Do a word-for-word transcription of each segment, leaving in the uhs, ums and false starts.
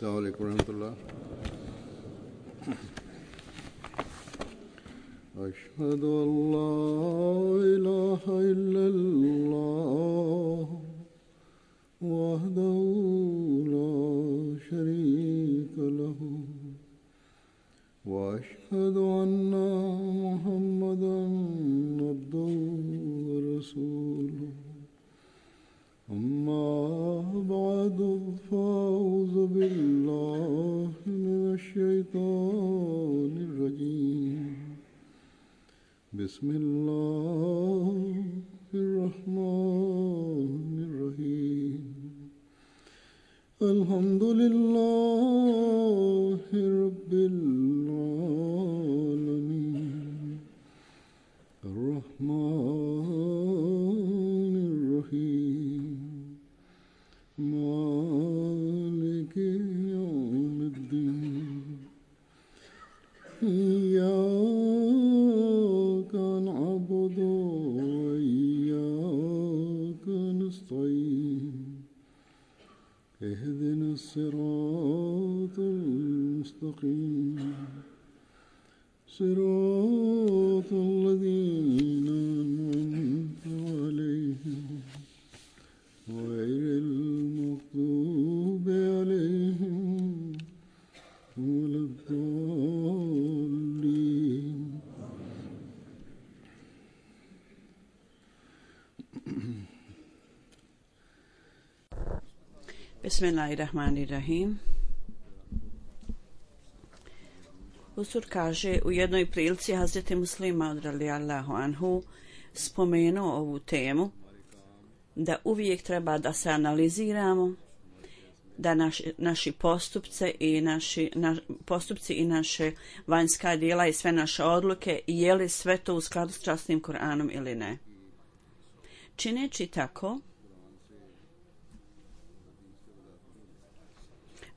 السلام عليكم ورحمة الله. أشهد أن لا إله إلا الله وحده لا شريك له وأشهد أن محمدا عبده ورسوله أما بعد فأعوذ بالله من الشيطان الرجيم بسم الله الرحمن الرحيم الحمد لله رب العالمين الرحمن الرحيم مالك يوم الدين إياك نعبد وإياك نستعين اهدنا الصراط المستقيم صراط الذين أنعمت عليهم غير المغضوب عليهم ولا الضالين. Bismillahirrahmanirrahim. Usur kaže u jednoj prilici Hazreti Muslima radijallahu anhu spomenuo ovu temu da uvijek treba da se analiziramo, da naši, naši postupce i naši na, postupci i naše vanjska djela i sve naše odluke, je li sve to u skladu s časnim Kur'anom ili ne. Čineći tako,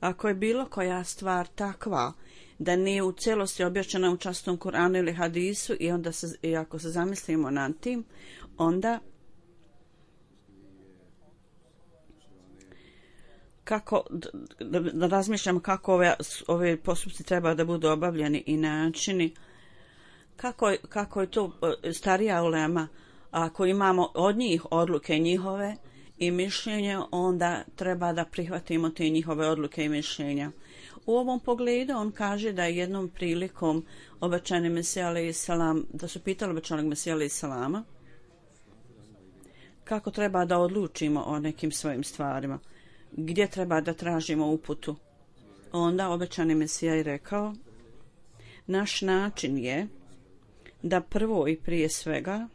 ako je bilo koja stvar takva da nije u cijelosti objašnjena u časnom Kur'anu ili hadisu i onda se, i ako se zamislimo nad tim, onda kako da, da razmišljamo kako ove, ove postupci treba da budu obavljeni i načini, kako, kako je to starija ulema, ako imamo od njih odluke njihove i mišljenja, onda treba da prihvatimo te njihove odluke i mišljenja. U ovom pogledu on kaže da je jednom prilikom obećani Mesija alejhi selam, da su pitali obećanog Mesija alejhi selama kako treba da odlučimo o nekim svojim stvarima, gdje treba da tražimo uputu. Onda obećani Mesija je rekao: naš način je da prvo i prije svega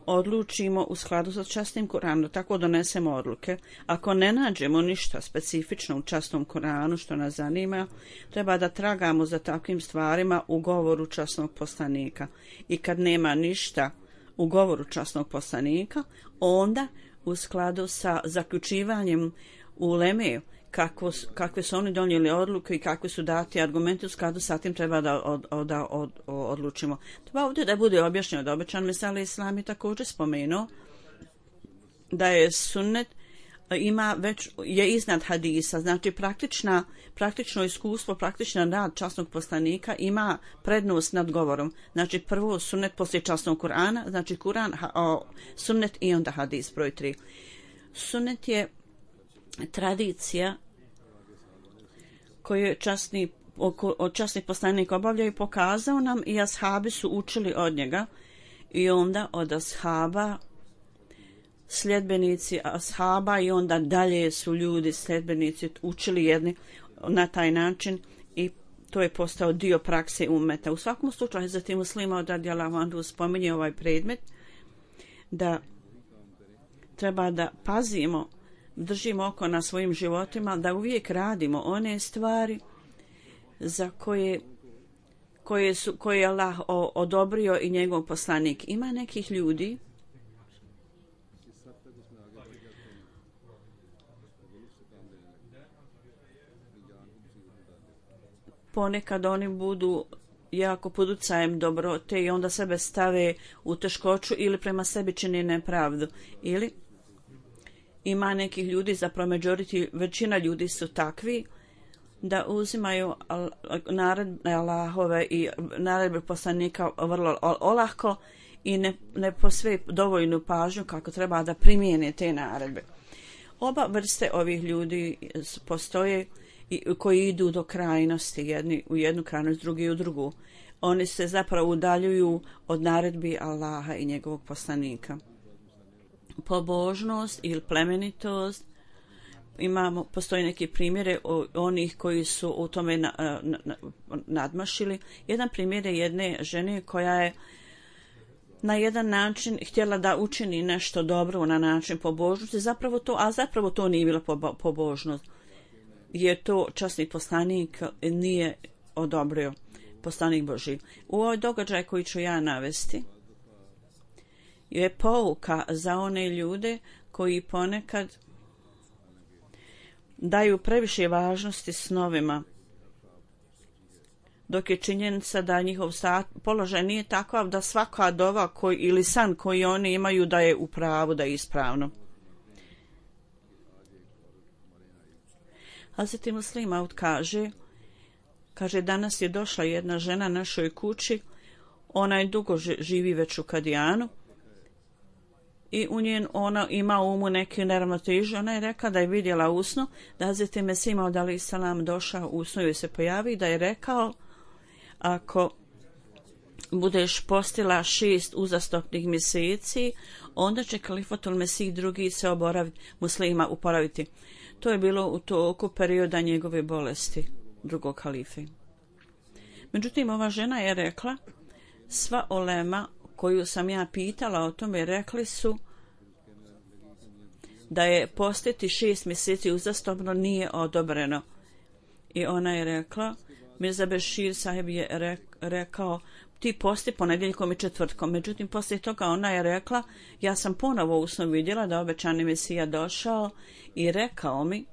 odlučimo u skladu sa časnim Kur'anom, tako donesemo odluke. Ako ne nađemo ništa specifično u časnom Kur'anu što nas zanima, treba da tragamo za takvim stvarima u govoru časnog poslanika. I kad nema ništa u govoru časnog poslanika, onda u skladu sa zaključivanjem uleme kako, kakve su oni donijeli odluke i kakve su dati argumenti, u skladu sa tim treba da, od, od, da od, odlučimo. Treba ovdje da bude objašnjeno da obećan Mesija alejhi selam je također spomenuo da je sunnet ima već je iznad hadisa, znači praktična, praktično iskustvo, praktičan rad časnog poslanika ima prednost nad govorom. Znači prvo sunnet poslije časnog Kur'ana, znači Kur'an, ha, sunnet i onda hadis broj tri. Sunnet je tradicija koju je časni, od časnih poslanika obavljaju i pokazao nam, i ashabi su učili od njega, i onda od ashaba sljedbenici ashaba i onda dalje su ljudi sljedbenici učili jedni na taj način i to je postao dio prakse ummeta. U svakom slučaju za tim Muslima radijallahu anhu spominje ovaj predmet da treba da pazimo, držimo oko na svojim životima, da uvijek radimo one stvari za koje koje su koje je Allah odobrio i njegov poslanik. Ima nekih ljudi ponekad oni budu jako pod utjecajem dobrote i onda sebe stave u teškoću ili prema sebi čini nepravdu ili ima nekih ljudi, zapravo majority, većina ljudi su takvi da uzimaju naredbe Allahove i naredbe poslanika vrlo olahko i ne, ne posve dovoljnu pažnju kako treba da primijene te naredbe. Oba vrste ovih ljudi postoje i koji idu do krajnosti, jedni u jednu krajnost, drugi u drugu. Oni se zapravo udaljuju od naredbi Allaha i njegovog poslanika. Pobožnost ili plemenitost, imamo, postoji neki primjere onih koji su u tome na, na, na, nadmašili. Jedan primjer je jedne žene koja je na jedan način htjela da učini nešto dobro na način pobožnosti, zapravo to, a zapravo to nije bila pobožnost. Jer to časni poslanik nije odobrio, poslanik Božji. U ovoj događaj koji ću ja navesti je pouka za one ljude koji ponekad daju previše važnosti snovima, dok je činjenica da njihov položaj nije takav da svaka dova koji, ili san koji oni imaju da je u pravu, da je ispravno. Hazreti Muslim Maud kaže, kaže danas je došla jedna žena našoj kući, ona je dugo živi već u Kadijanu i u njen ona ima u umu neke neravnoteže. Ona je rekla da je vidjela u snu da Hazreti Mesih Maud alejhi selam došao u snu i se pojavi da je rekao, ako budeš postila šest uzastopnih mjeseci, onda će kalifatul Mesih drugi se oboraviti, muslima uporaviti. To je bilo u toku perioda njegove bolesti, drugog halife. Međutim, ova žena je rekla, sva olema koju sam ja pitala o tome, rekli su da je postiti šest mjeseci uzastopno nije odobreno. I ona je rekla, Mirza Bešir sahib je rekao, ti posti ponedjeljkom i četvrtkom. Međutim, poslije toga ona je rekla, ja sam ponovo u snu vidjela da obećani Mesija došao i rekao mi,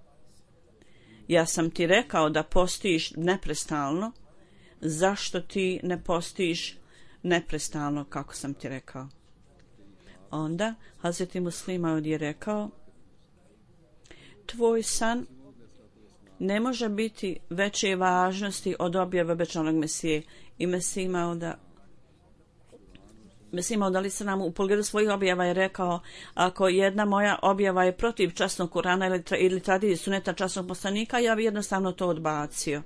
ja sam ti rekao da postiš neprestalno, zašto ti ne postiš neprestalno kako sam ti rekao? Onda Hazreti Muslim Maud je rekao, tvoj san ne može biti veće važnosti od objave obećanog Mesije. I Mesih Mauda Mesih Maud alejhi selam u pogledu svojih objava je rekao, ako jedna moja objava je protiv časnog Kurana ili, tra, ili tradicije suneta časnog poslanika, ja bi jednostavno to odbacio.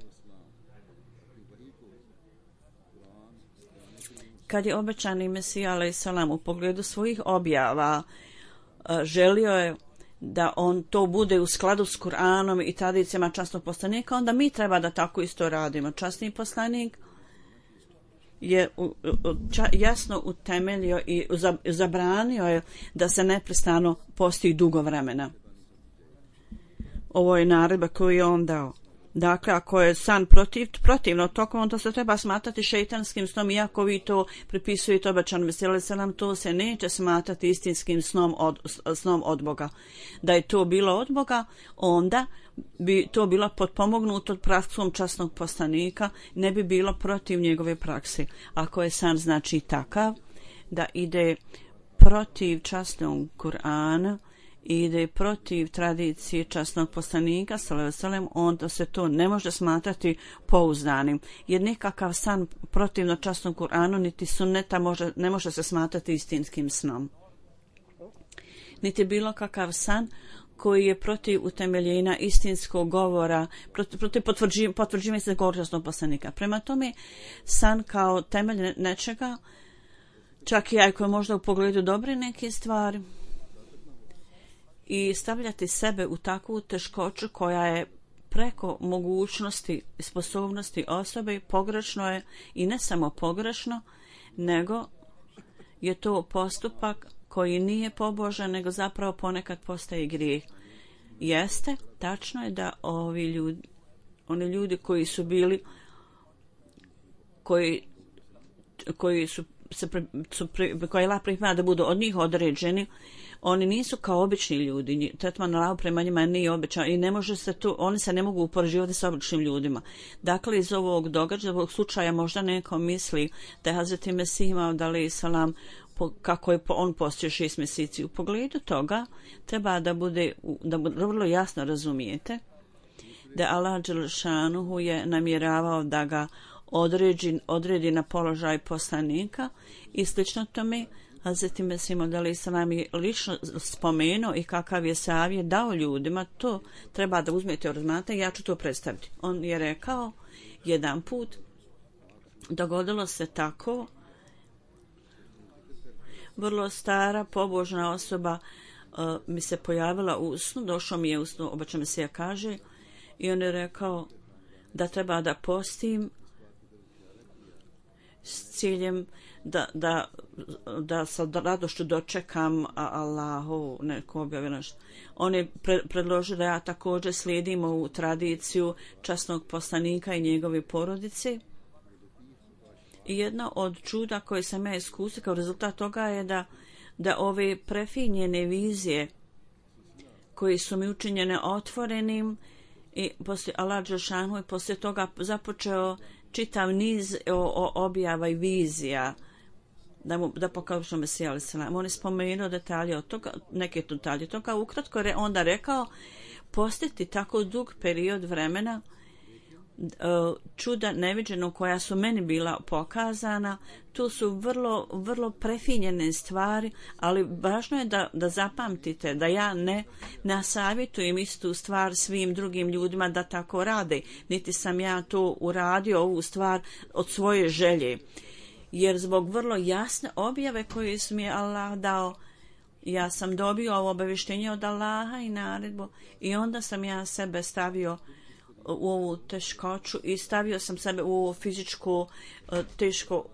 Kad je obećani Mesih alejhi selam u pogledu svojih objava želio je da on to bude u skladu s Kur'anom i tradicijama časnog poslanika, onda mi treba da tako isto radimo. Časni poslanik je jasno utemeljio i zabranio je da se neprestano posti dugo vremena. Ovo je naredba koju je on dao. Dakle, ako je san protiv, protivno tokom, onda se treba smatrati šeitanskim snom, iako vi to pripisujete obećanom Mesiju alejhi selam, to se neće smatrati istinskim snom od, snom od Boga. Da je to bilo od Boga, onda bi to bilo potpomognuto praksom časnog poslanika, ne bi bilo protiv njegove prakse. Ako je san znači takav da ide protiv časnog Kur'ana, ide protiv tradicije časnog poslanika sallallahu alejhi ve sellem, onda se to ne može smatrati pouzdanim. Jer nekakav san protivno časnom Kur'anu niti sunneta može, ne može se smatrati istinskim snom. Niti bilo kakav san koji je protiv utemeljenja istinskog govora, protiv, protiv potvrđivanja potvrđiv se govora časnog poslanika. Prema tome, san kao temelj nečega, čak i ako je možda u pogledu dobre neke stvari, i stavljati sebe u takvu teškoću koja je preko mogućnosti i sposobnosti osobe, pogrešno je i ne samo pogrešno, nego je to postupak koji nije pobožan, nego zapravo ponekad postaje grijeh. Jeste, tačno je da ovi ljudi, oni ljudi koji su bili, koji, koji su se su koji Allah priprema da budu od njih određeni, oni nisu kao obični ljudi. Tretman Allah prema njima nije običan i ne može se tu, oni se ne mogu upoređivati sa običnim ljudima. Dakle, iz ovog događaja, ovog slučaja možda neko misli da je Hazreti Mesih Maud alejhi selam po, kako je on postio šest mjeseci. U pogledu toga treba da bude, da bude vrlo jasno razumijete da Allah dželšanuhu je namjeravao da ga odredi, odredi na položaj poslanika i slično tome. Hazreti Mesih Maud alejhi selam je lično spomenuo i kakav je savjet dao ljudima, to treba da uzmete u razmatranje, ja ću to predstaviti. On je rekao jedan put, dogodilo se tako, vrlo stara pobožna osoba uh, mi se pojavila u snu, došao mi je u snu, obača mi se ja kaže, i on je rekao da treba da postim s ciljem da, da, da sa radošću dočekam Allahu neku objavljenost. On je pre, predložio da ja također slijedim u tradiciju časnog poslanika i njegove porodice. I jedno od čuda koje sam ja iskusila kao rezultat toga je da, da ove prefinjene vizije koje su mi učinjene otvorenim i poslije Allah dželšanuhu i poslije toga započeo čitav niz o, o objava i vizija da mu da pokažemo Mesija alejhi selam. On je spomenuo detalje od toga, neke detalje toga, ukratko je onda rekao postiti tako dug period vremena čuda neviđeno koja su meni bila pokazana, tu su vrlo, vrlo prefinjene stvari, ali važno je da, da zapamtite da ja ne nasavjetujem istu stvar svim drugim ljudima da tako rade, niti sam ja to uradio ovu stvar od svoje želje, jer zbog vrlo jasne objave koje su mi Allah dao, ja sam dobio ovo obavještenje od Allaha i naredbu i onda sam ja sebe stavio u ovu teškoću i stavio sam sebe u ovu fizičku teško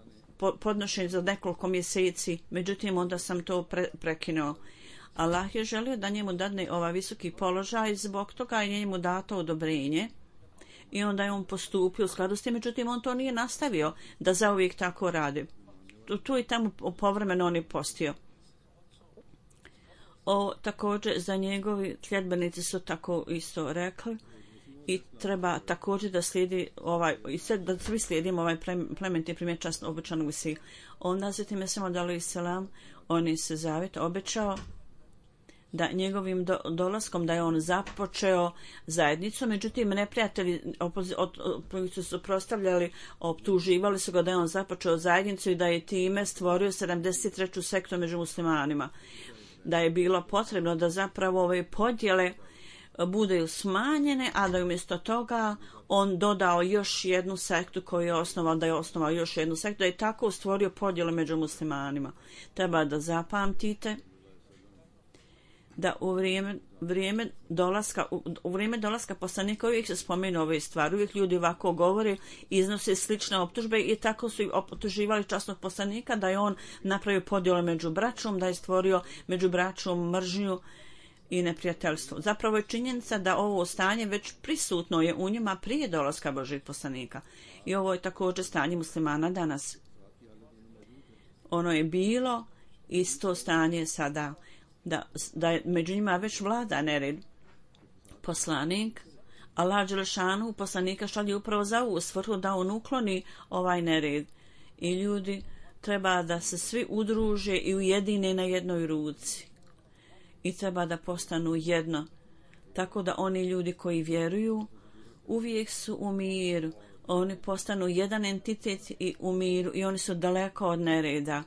podnošenje za nekoliko mjeseci, međutim onda sam to pre, prekinuo. Allah je želio da njemu dadne ovaj visoki položaj, zbog toga je njemu dato odobrenje i onda je on postupio u skladu s tim, međutim on to nije nastavio da zauvijek tako radi. Tu, tu i tamo povremeno on je postio. O, također za njegovi sljedbenici su tako isto rekli i treba također da slijedi ovaj, i sve, da svi slijedimo ovaj plemenitni primjer časno obećanog Mesije. Onda zatim Mesija Maud alejhi selam, on je se zavjet obećao da njegovim do, dolaskom da je on započeo zajednicu, međutim neprijatelji koji su suprotstavljali, optuživali su ga da je on započeo zajednicu i da je time stvorio sedamdeset treću sektu među muslimanima. Da je bilo potrebno da zapravo ove podjele budu smanjene, a da je umjesto toga on dodao još jednu sektu koju je osnovao, da je osnovao još jednu sektu, da je tako stvorio podjele među muslimanima. Treba da zapamtite da u vrijeme, vrijeme dolaska u, u vrijeme dolaska poslanika uvijek se spomenu ove stvari, uvijek ljudi ovako govore, iznose slične optužbe i tako su optuživali časnog poslanika da je on napravio podjele među braćom, da je stvorio među braćom mržnju i neprijateljstvo. Zapravo je činjenica da ovo stanje već prisutno je u njima prije dolaska Božjeg poslanika. I ovo je također stanje muslimana danas. Ono je bilo isto stanje sada, da, da je među njima već vlada nered. Poslanik, Allah dželešanu poslanika šalje upravo za ovu svrhu da on ukloni ovaj nered. I ljudi treba da se svi udruže i ujedine na jednoj ruci. I treba da postanu jedno, tako da oni ljudi koji vjeruju uvijek su u miru, oni postanu jedan entitet i u miru i oni su daleko od nereda.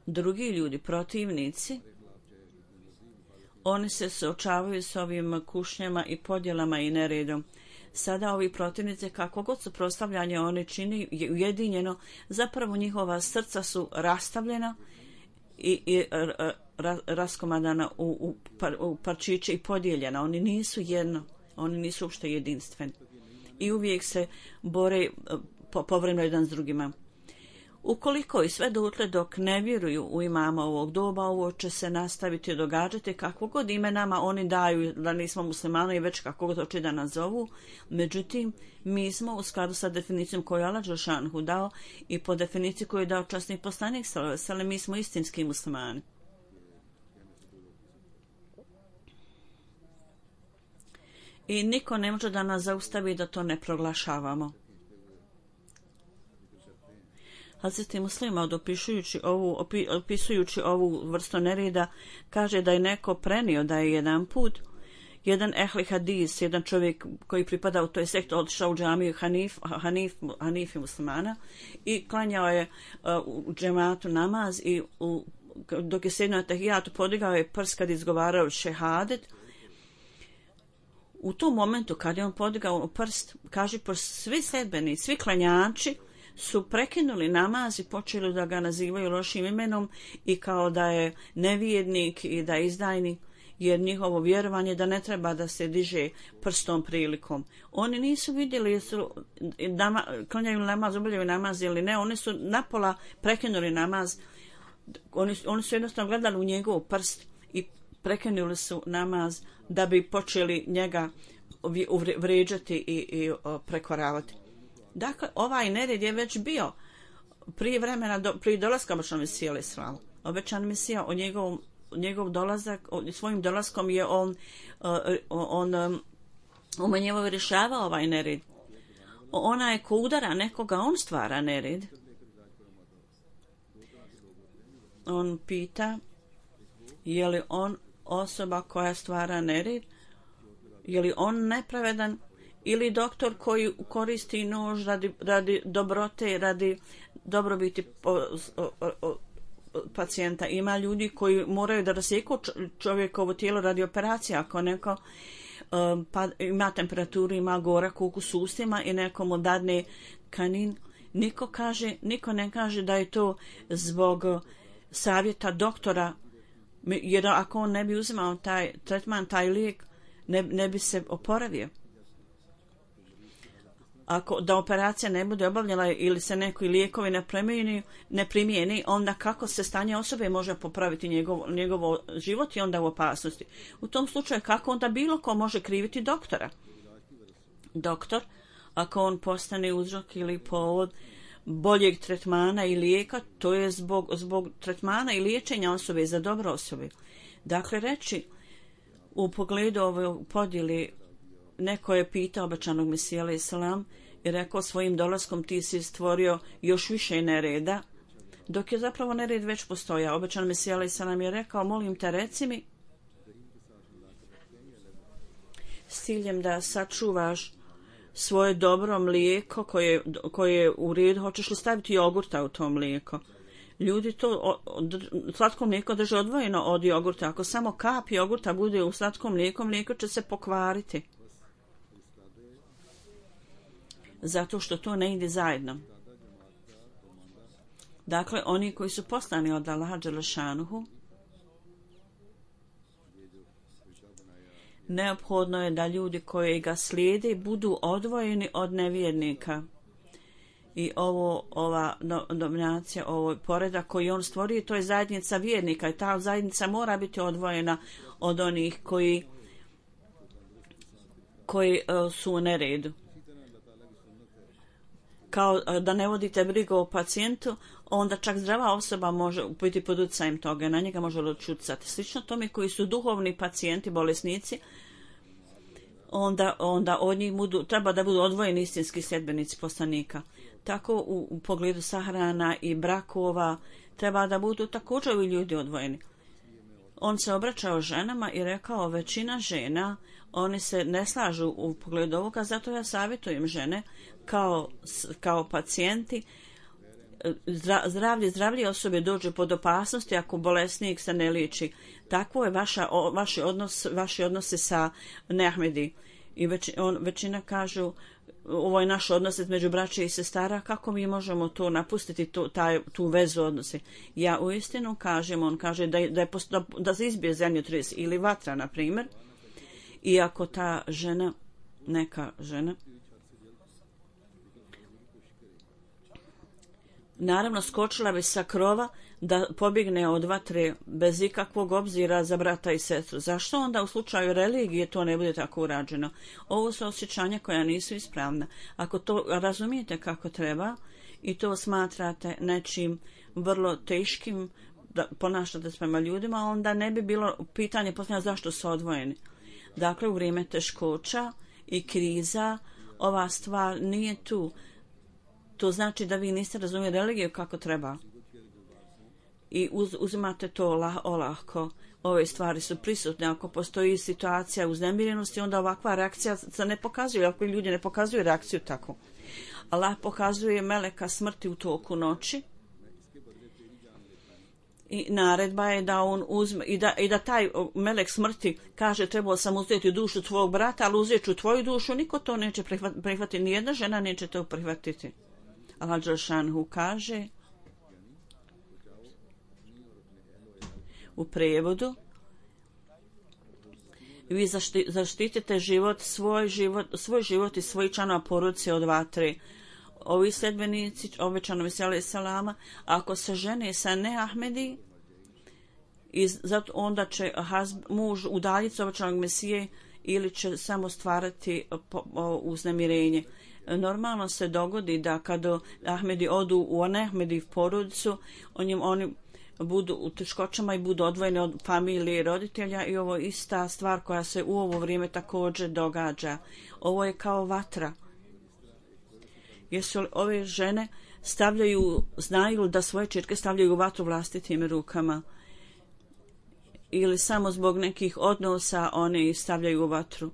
Drugi ljudi, protivnici, oni se suočavaju s ovim kušnjama i podjelama i neredom. Sada ovi protivnici, kako god su prostavljanje oni čini ujedinjeno, zapravo njihova srca su rastavljena i, i ra, raskomadana u, u, par, u parčiće i podijeljena. Oni nisu jedno, oni nisu uopšte jedinstveni. I uvijek se bore po, povremeno jedan s drugima. Ukoliko i sve dotle dok ne vjeruju u imama ovog doba, ovo će se nastaviti događati kako god ime nama oni daju da nismo muslimani i već kako god hoće da nas zovu. Međutim, mi smo u skladu sa definicijom koju je Allah dželešanu dao i po definiciji koju je dao časni poslanik sallallahu alejhi ve sellem, mi smo istinski muslimani. I niko ne može da nas zaustavi da to ne proglašavamo. Hazreti Muslima opisujući ovu, opi, opisujući ovu vrstu nereda kaže da je neko prenio da je jedan put jedan ehli hadis, jedan čovjek koji pripada u toj sektu, otišao u džamiju Hanif, Hanif, Hanifi muslimana i klanjao je uh, u džematu namaz i u, dok je sjedio na tahijatu podigao je prst kad izgovarao šehadet. U tom momentu kad je on podigao prst, kaže, svi sedbeni, svi klanjači su prekinuli namaz i počeli da ga nazivaju lošim imenom i kao da je nevjernik i da je izdajnik, jer njihovo vjerovanje da ne treba da se diže prstom prilikom. Oni nisu vidjeli jesu nama, klanjaju namaz, obavljaju namaz ili ne, oni su napola prekinuli namaz, oni, oni su jednostavno gledali u njegov prst i prekinuli su namaz da bi počeli njega vrijeđati i, i prekoravati. Dakle, ovaj nered je već bio prije vremena, do, prije dolaska obećanog Mesija alejhi selam. Obećan Mesija o njegovom njegov dolazak, svojim dolaskom je on on, on umanjivao i rješavao ovaj nered. Ona je ko udara nekoga, on stvara nered. On pita je li on osoba koja stvara nered, je li on nepravedan ili doktor koji koristi nož radi, radi dobrote, radi dobrobiti o, o, o, pacijenta. Ima ljudi koji moraju da rasjeku čovjekovo tijelo radi operacije. Ako neko um, pa, ima temperaturu, ima gorak ukus u ustima i neko mu dadne kanin, niko, kaže, niko ne kaže da je to zbog savjeta doktora, jer ako on ne bi uzimao taj tretman, taj lijek, ne, ne bi se oporavio. Ako da operacija ne bude obavljena ili se neki lijekovi ne primijeni, ne primijeni, onda kako se stanje osobe može popraviti njegov, njegov život i onda u opasnosti. U tom slučaju kako onda bilo ko može kriviti doktora? Doktor, ako on postane uzrok ili povod boljeg tretmana i lijeka, to je zbog, zbog tretmana i liječenja osobe za dobro osobe. Dakle, reći u pogledu ove podjeli, neko je pitao obećanog Mesija alejhi selam i rekao svojim dolaskom ti si stvorio još više nereda, dok je zapravo nered već postojao. Obećan Mesija alejhi selam je rekao, molim te reci mi s ciljem da sačuvaš svoje dobro mlijeko koje, koje je u redu, hoćeš li staviti jogurta u to mlijeko? Ljudi to slatko mlijeko drže odvojeno od jogurta. Ako samo kap jogurta bude u slatkom mlijeku, mlijeko će se pokvariti. Zato što to ne ide zajedno. Dakle, oni koji su poslani od Allaha dželešanuhu, neophodno je da ljudi koji ga slijede budu odvojeni od nevjernika. I ovo, ova dominacija, ovo poredak koji on stvorio, to je zajednica vjernika i ta zajednica mora biti odvojena od onih koji, koji uh, su u neredu. Kao da ne vodite brigu o pacijentu, onda čak zdrava osoba može biti pod utjecajem toga, na njega može odčucati. Slično tome koji su duhovni pacijenti, bolesnici, onda, onda od njih budu, treba da budu odvojeni istinski sljedbenici poslanika. Tako u, u pogledu sahrana i brakova treba da budu također i ljudi odvojeni. On se obraćao ženama i rekao, većina žena, oni se ne slažu u pogledu ovoga, zato ja savjetujem žene kao, kao pacijenti, zdravlje, zdravlje osobe dođe pod opasnosti ako bolesnik se ne liječi. Takvo je vaša, o, vaši, odnos, vaši odnose sa Neahmedi. I već, on, većina kažu, ovo je naš odnos između braće i sestara, kako mi možemo to napustiti, tu, taj, tu vezu odnose. Ja uistinu kažem, on kaže da, da, je, da, da se izbije zemljotres ili vatra, na primjer, i ako ta žena, neka žena, naravno skočila bi sa krova da pobjegne od vatre bez ikakvog obzira za brata i sestru. Zašto onda u slučaju religije to ne bude tako urađeno? Ovo su osjećanja koja nisu ispravna. Ako to razumijete kako treba i to smatrate nečim vrlo teškim da ponašate prema ljudima, onda ne bi bilo pitanje posljedno zašto su odvojeni. Dakle, u vrijeme teškoća i kriza ova stvar nije tu. to znači da vi niste razumjeli religiju kako treba. I uz, uzimate to lah, olahko. Ove stvari su prisutne. Ako postoji situacija uznemirenosti, onda ovakva reakcija se ne pokazuje. Ako ljudi ne pokazuju reakciju tako. Allah pokazuje meleka smrti u toku noći. I naredba je da on uzme, i da, i da taj melek smrti kaže trebao sam uzeti dušu tvojeg brata, ali uzet ću tvoju dušu, niko to neće prihvatiti, prihvatiti, nijedna žena neće to prihvatiti. Allah Đelšanhu kaže u prijevodu, vi zašti, zaštitite život, svoj život, svoj život i svoj članova porodice od vatre. Ovi sledbenici obećanovi salama, ako se žene sa neahmedi, i zato onda će hazb, muž udaljiti obećanog Mesije ili će samo stvarati uznemirenje. Normalno se dogodi da kada Ahmedi odu u neahmedi porodicu, oni, oni budu u teškoćama i budu odvojeni od familije i roditelja i ovo je ista stvar koja se u ovo vrijeme također događa. Ovo je kao vatra. Jesu li ove žene stavljaju, znaju da svoje ćerke stavljaju u vatru vlastitim rukama ili samo zbog nekih odnosa one stavljaju u vatru?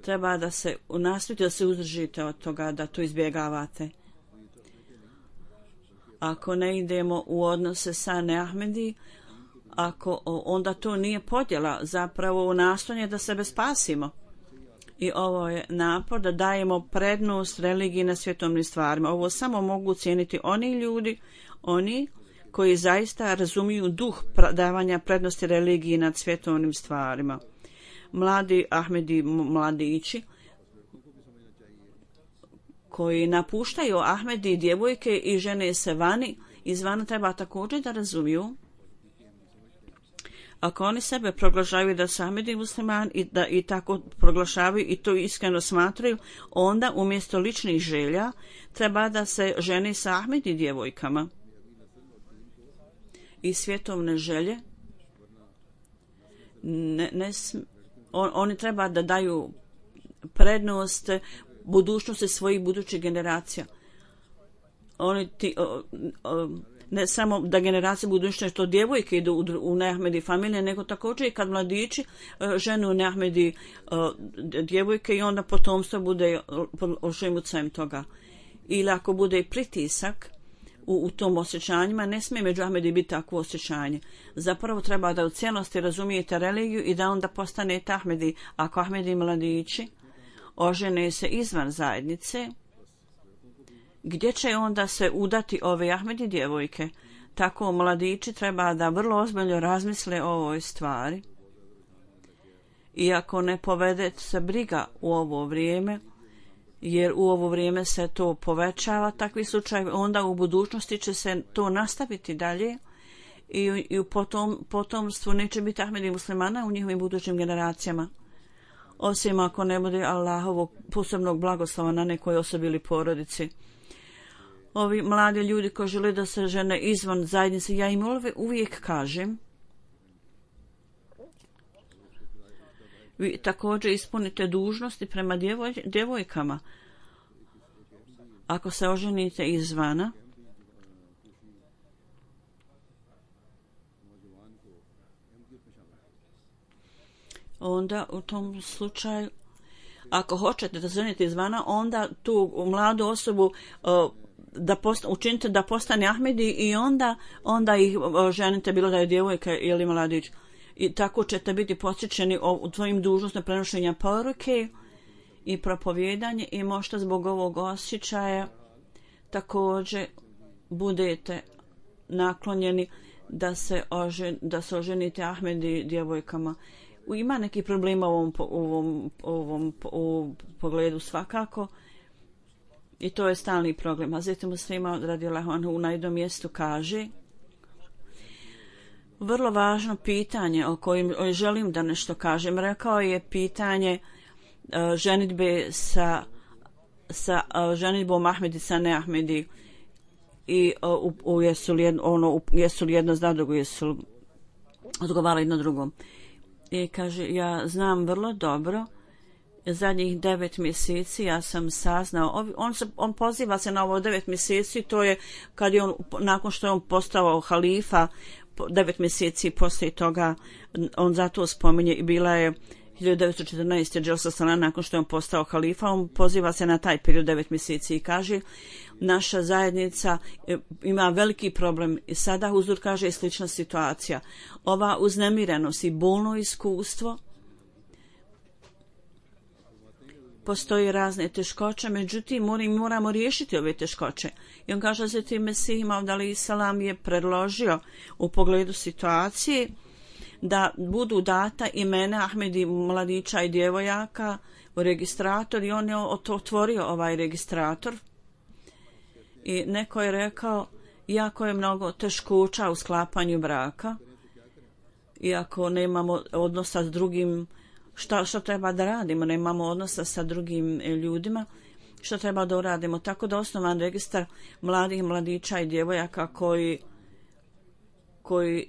Treba da se nastojite da se uzdržite od toga, da to izbjegavate. Ako ne idemo u odnose sa neahmedi, ako onda to nije podjela, zapravo u nastojanje da sebe spasimo. I ovo je napor da dajemo prednost religiji na svjetovnim stvarima. Ovo samo mogu cijeniti oni ljudi, oni koji zaista razumiju duh davanja prednosti religiji nad svjetovnim stvarima. Mladi Ahmedi mladići koji napuštaju Ahmedi djevojke i žene se vani, izvana treba također da razumiju. Ako oni sebe proglašavaju da su Ahmedi musliman i da i tako proglašavaju i to iskreno smatraju, onda umjesto ličnih želja treba da se žene sa Ahmedi djevojkama. I svjetovne želje ne, ne, on, oni treba da daju prednost budućnosti svojih budućih generacija. Oni ti, o, o, ne samo da generacije budućnosti što djevojke idu u, u neahmedi familije, nego također i kad mladići ženu u neahmedi djevojke i onda potomstvo bude ožimucajem toga. Ili ako bude pritisak u, u tom osjećanjima, ne smije među Ahmedi biti takvo osjećanje. Zapravo treba da u cijelosti razumijete religiju i da onda postanete Ahmedi. Ako Ahmedi mladići ožene se izvan zajednice, gdje će onda se udati ove Ahmedi djevojke? Tako mladići treba da vrlo ozbiljno razmisle o ovoj stvari. Iako ne povede se briga u ovo vrijeme, jer u ovo vrijeme se to povećava, takvi slučajevi, onda u budućnosti će se to nastaviti dalje i, i u potom, potomstvu neće biti Ahmedi muslimana u njihovim budućim generacijama. Osim ako ne bude Allahovog posebnog blagoslova na nekoj osobi ili porodici. Ovi mladi ljudi koji žele da se žene izvan zajednice, ja im uvijek kažem, vi također ispunite dužnosti prema djevoj, djevojkama. Ako se oženite izvana, onda u tom slučaju, ako hoćete da se ženite izvana, onda tu mladu osobu uh, da posta, učinite da postane Ahmedi i onda, onda ih ženite, bilo da je djevojka ili mladić. I tako ćete biti posjećeni u tvojim dužnostima prenošenja poruke i propovjedanje i možda zbog ovog osjećaja također budete naklonjeni da se, ožen, da se oženite Ahmedi djevojkama. Ima neki problema u ovom, u ovom, u ovom u pogledu svakako i to je stalni problem. A zatim muslima radijallahu anhu u najdom mjestu kaže vrlo važno pitanje o kojem želim da nešto kažem. Rekao je pitanje uh, ženidbe sa, sa uh, ženidbom Ahmedi sa neahmedi i uh, u, u jesu, li jedno, ono, u, jesu li jedno za drugo, jesu odgovarali jedno drugom. I kaže, ja znam vrlo dobro zadnjih devet mjeseci ja sam saznao, on, se, on poziva se na ovo devet mjeseci, to je kad je on, nakon što je on postao halifa, devet mjeseci poslije toga, on zato spominje i bila je hiljadu devetsto četrnaeste. Dželsa Salana, nakon što je on postao halifa, on poziva se na taj period devet mjeseci i kaže naša zajednica ima veliki problem i sada Huzur kaže je slična situacija. Ova uznemirenost i bolno iskustvo, postoji razne teškoće, međutim moramo riješiti ove teškoće. I on kaže da se ti Mesih Maud alejhi selam je predložio u pogledu situacije da budu data imena Ahmedi mladića i djevojaka u registrator i on je otvorio ovaj registrator i neko je rekao jako je mnogo teškoća u sklapanju braka, iako nemamo odnosa s drugim, šta, šta treba da radimo, nemamo odnosa sa drugim ljudima, što treba da uradimo. Tako da osnovan registar mladih mladića i djevojaka koji koji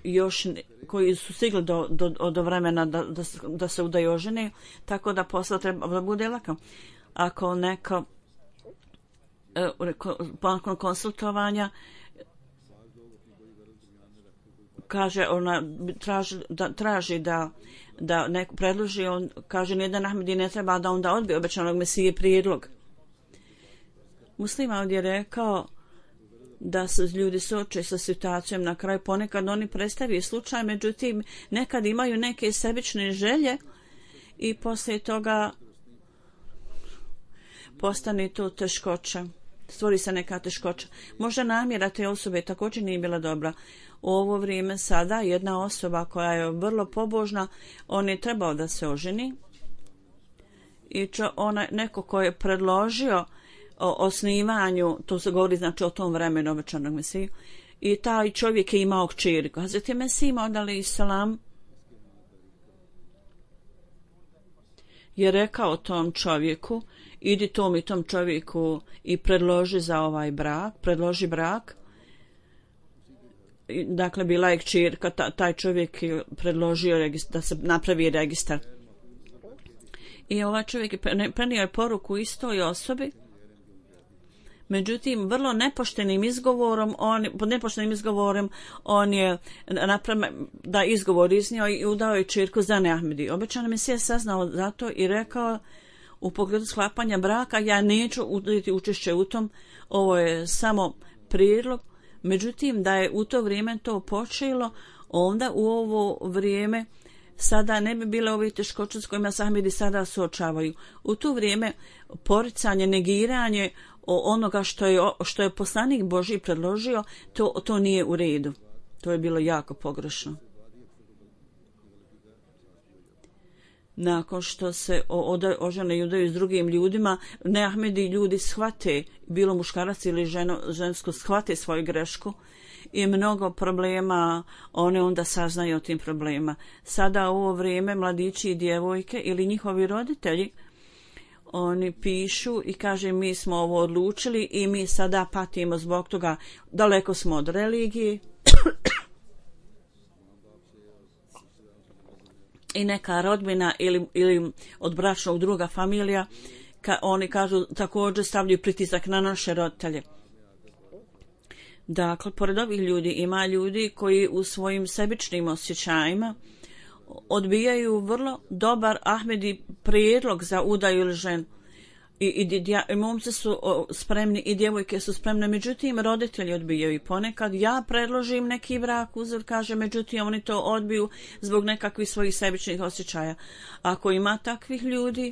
još koji su stigli do, do, do vremena da, da, da se udaju žene, tako da posle treba da bude lako. Ako neko nakon konsultovanja kaže ona traži da, traži da da neko predloži, on kaže nijedan Ahmedi ne treba da onda odbije obećanog Mesije prijedlog. Muslima ovdje je rekao da se ljudi suoče sa situacijom na kraju, ponekad oni predstavljaju slučaj, međutim nekad imaju neke sebične želje i poslije toga postane to teškoća, stvori se neka teškoća. Možda namjera te osobe također nije bila dobra. U ovo vrijeme sada jedna osoba koja je vrlo pobožna, on je trebao da se oženi i čo, ona, neko ko je predložio o osnivanju, to se govori znači o tom vremenu obećanog Mesiju, i taj čovjek je imao kćerku. Hazreti Mesih Maud alejhi selam je rekao tom čovjeku, idi tom i tom čovjeku i predloži za ovaj brak, predloži brak. Dakle, bila je kćerka, taj čovjek je predložio registar, da se napravi registar. I ovaj čovjek je prenio je poruku istoj osobi, međutim, vrlo nepoštenim izgovorom, on, pod nepoštenim izgovorom, on je napravio da izgovor iznio i udao je kćerku za Ahmedi. Obećani Mesija saznao zato i rekao u pogledu sklapanja braka, ja neću uzeti učešće u tom, ovo je samo prijedlog. Međutim, da je u to vrijeme to počelo, onda u ovo vrijeme sada ne bi bile ove teškoće s kojima se Ahmedi sada suočavaju. U to vrijeme poricanje, negiranje onoga što je, što je poslanik Božji predložio, to, to nije u redu. To je bilo jako pogrešno. Nakon što se ožene i udaju s drugim ljudima, ne Ahmedi ljudi shvate, bilo muškarac ili ženo, žensko shvate svoju grešku i mnogo problema, one onda saznaju o tim problema. Sada u ovo vrijeme mladići i djevojke ili njihovi roditelji, oni pišu i kaže mi smo ovo odlučili i mi sada patimo zbog toga, daleko smo od religije. I neka rodbina ili, ili od bračnog druga familija, ka, oni kažu također stavljaju pritisak na naše roditelje. Dakle, pored ovih ljudi ima ljudi koji u svojim sebičnim osjećajima odbijaju vrlo dobar Ahmedi prijedlog za udaju ili ženu. I, i, i momci su spremni i djevojke su spremne, međutim roditelji odbijaju i ponekad ja predložim neki brak, uzor kaže, međutim oni to odbiju zbog nekakvih svojih sebičnih osjećaja. Ako ima takvih ljudi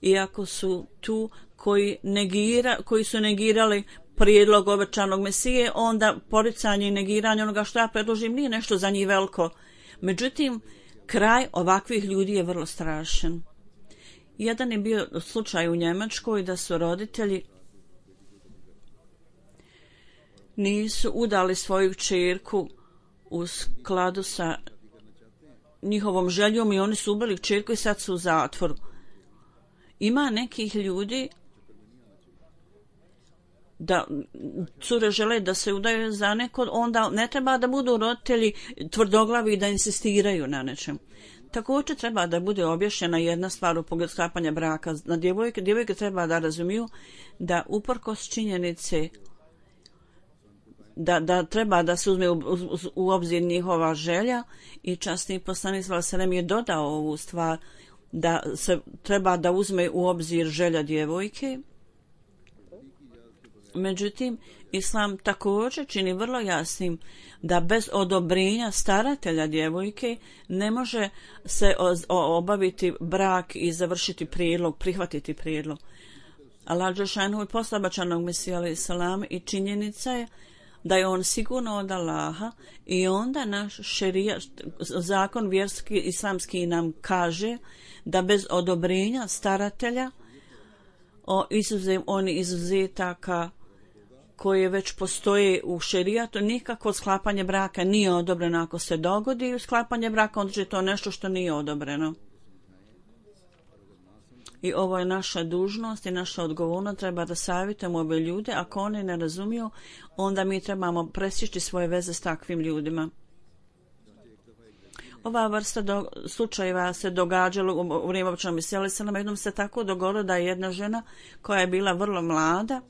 i ako su tu koji, negira, koji su negirali prijedlog obećanog Mesije, onda poricanje i negiranje onoga što ja predložim nije nešto za njih veliko. Međutim, kraj ovakvih ljudi je vrlo strašan. Jedan je bio slučaj u Njemačkoj da su roditelji nisu udali svoju kćerku u skladu sa njihovom željom i oni su ubili kćerku i sad su u zatvoru. Ima nekih ljudi da cure žele da se udaju za neko, onda ne treba da budu roditelji tvrdoglavi da insistiraju na nečem. Također treba da bude objašnjena jedna stvar u pogledu sklapanja braka. Na djevojke, djevojke treba da razumiju da uprkos činjenice da, da treba da se uzme u, u, u obzir njihova želja i časni poslanik sallallahu alejhi ve sellem je dodao ovu stvar da se treba da uzme u obzir želja djevojke. Međutim, Islam također čini vrlo jasnim da bez odobrenja staratelja djevojke ne može se obaviti brak i završiti prijedlog, prihvatiti prijedlog. Allah dželešanu je poslao obećanog Mesija alejhi selam i činjenica je da je on sigurno od Allaha i onda naš šerijat, zakon vjerski islamski nam kaže da bez odobrenja staratelja o izuzem oni izuzetaka koje već postoje u šerijatu, nikako sklapanje braka nije odobreno. Ako se dogodi sklapanje braka, onda je to nešto što nije odobreno. I ovo je naša dužnost i naša odgovornost, treba da savjetujemo ove ljude. Ako oni ne razumiju, onda mi trebamo presjeći svoje veze s takvim ljudima. Ova vrsta do, slučajeva se događala u vrijeme obećanog Mesija alejhi selam. Jednom se tako dogodilo da je jedna žena koja je bila vrlo mlada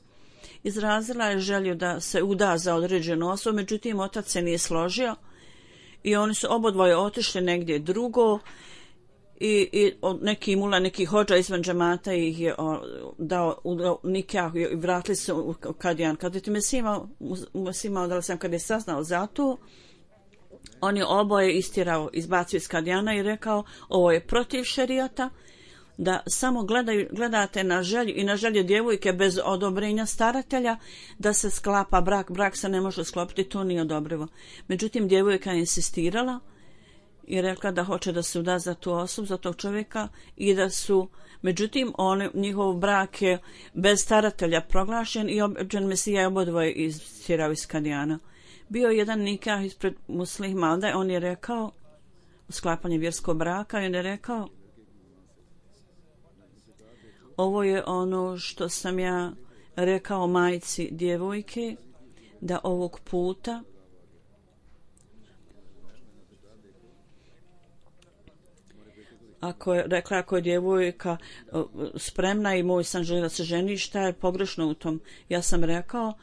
izrazila je želju da se uda za određenu osobu, međutim otac se nije složio i oni su obodvoje otišli negdje drugo i, i neki mula, neki hođa izvan džemata ih je o, dao u nikah i vratili se u Kadijan. Kad je ti Mesima, Mesima da li sam kad je saznao za to, on je oboje istirao, izbacio iz Kadijana i rekao ovo je protiv šerijata, da samo gledaju, gledate na želju i na želju djevojke bez odobrenja staratelja da se sklapa brak. Brak se ne može sklopiti, to nije odobrivo. Međutim, djevojka je insistirala i rekla da hoće da se uda za tu osobu, za tog čovjeka i da su, međutim, on, njihov brak je bez staratelja proglašen i obećan Mesija je obodvoje istirao iz Kadijana. Bio je jedan nikah ispred muslima, onda on je rekao, sklapanje vjerskog braka, i on je rekao, ovo je ono što sam ja rekao majci djevojke, da ovog puta ako je, rekla ako je djevojka spremna i moj san želi da se ženi, šta je pogrešno u tom? Ja sam rekao,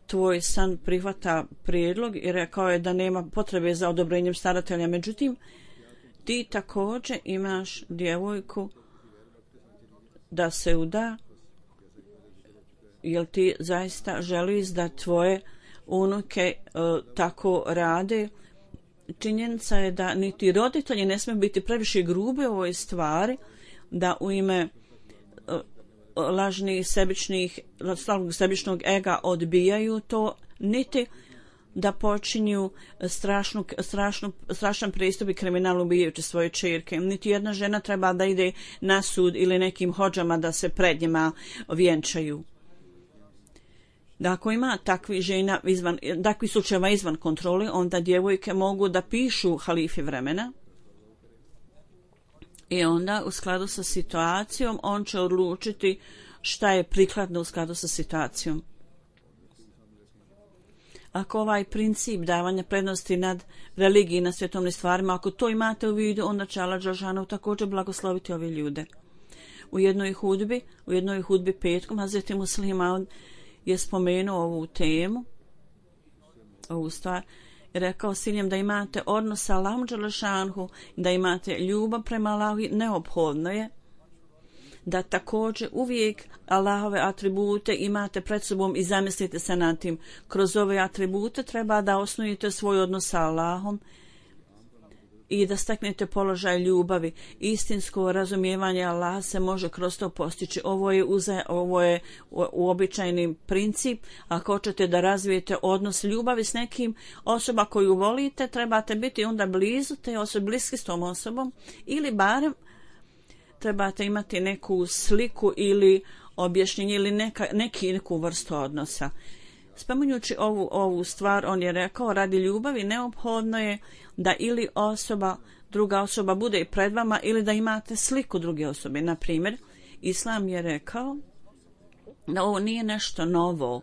tvoj san prihvata prijedlog i rekao je da nema potrebe za odobrenjem staratelja. Međutim, ti također imaš djevojku da se uda, jel ti zaista želiš da tvoje unuke uh, tako rade? Činjenica je da niti roditelji ne smiju biti previše grubi u ovoj stvari, da u ime uh, lažnih sebičnih, slavnog sebičnog ega odbijaju to, niti da počinju strašnu, strašnu, strašan pristup i kriminal ubijajući svoje čerke. Niti jedna žena treba da ide na sud ili nekim hođama da se pred njima vjenčaju. Da ako ima takvi žena izvan, takvi slučajeva izvan kontroli, onda djevojke mogu da pišu halifi vremena i onda u skladu sa situacijom on će odlučiti šta je prikladno u skladu sa situacijom. Ako ovaj princip davanja prednosti nad religiji na svjetovnim stvarima, ako to imate u vidu, onda će Allah dželešanu također blagosloviti ove ljude. U jednoj hudbi, u jednoj hudbi petkom, Hazreti Muslima je spomenuo ovu temu, ovu stvar, i rekao siljem da imate odnos sa Allahom dželešanu, da imate ljubav prema Allahu, neophodno je da također uvijek Allahove atribute imate pred sobom i zamislite se nad tim. Kroz ove atribute treba da osnujete svoj odnos sa Allahom i da steknete položaj ljubavi. Istinsko razumijevanje Allaha se može kroz to postići. Ovo je, uze, ovo je uobičajeni princip. Ako hoćete da razvijete odnos ljubavi s nekim osoba koju volite, trebate biti onda blizu te osobe, bliski s tom osobom, ili barem trebate imati neku sliku ili objašnjenje ili neka, neki, neku vrstu odnosa. Spominjući ovu, ovu stvar, on je rekao, radi ljubavi neophodno je da ili osoba, druga osoba bude pred vama ili da imate sliku druge osobe. Na primjer, Islam je rekao da ovo nije nešto novo,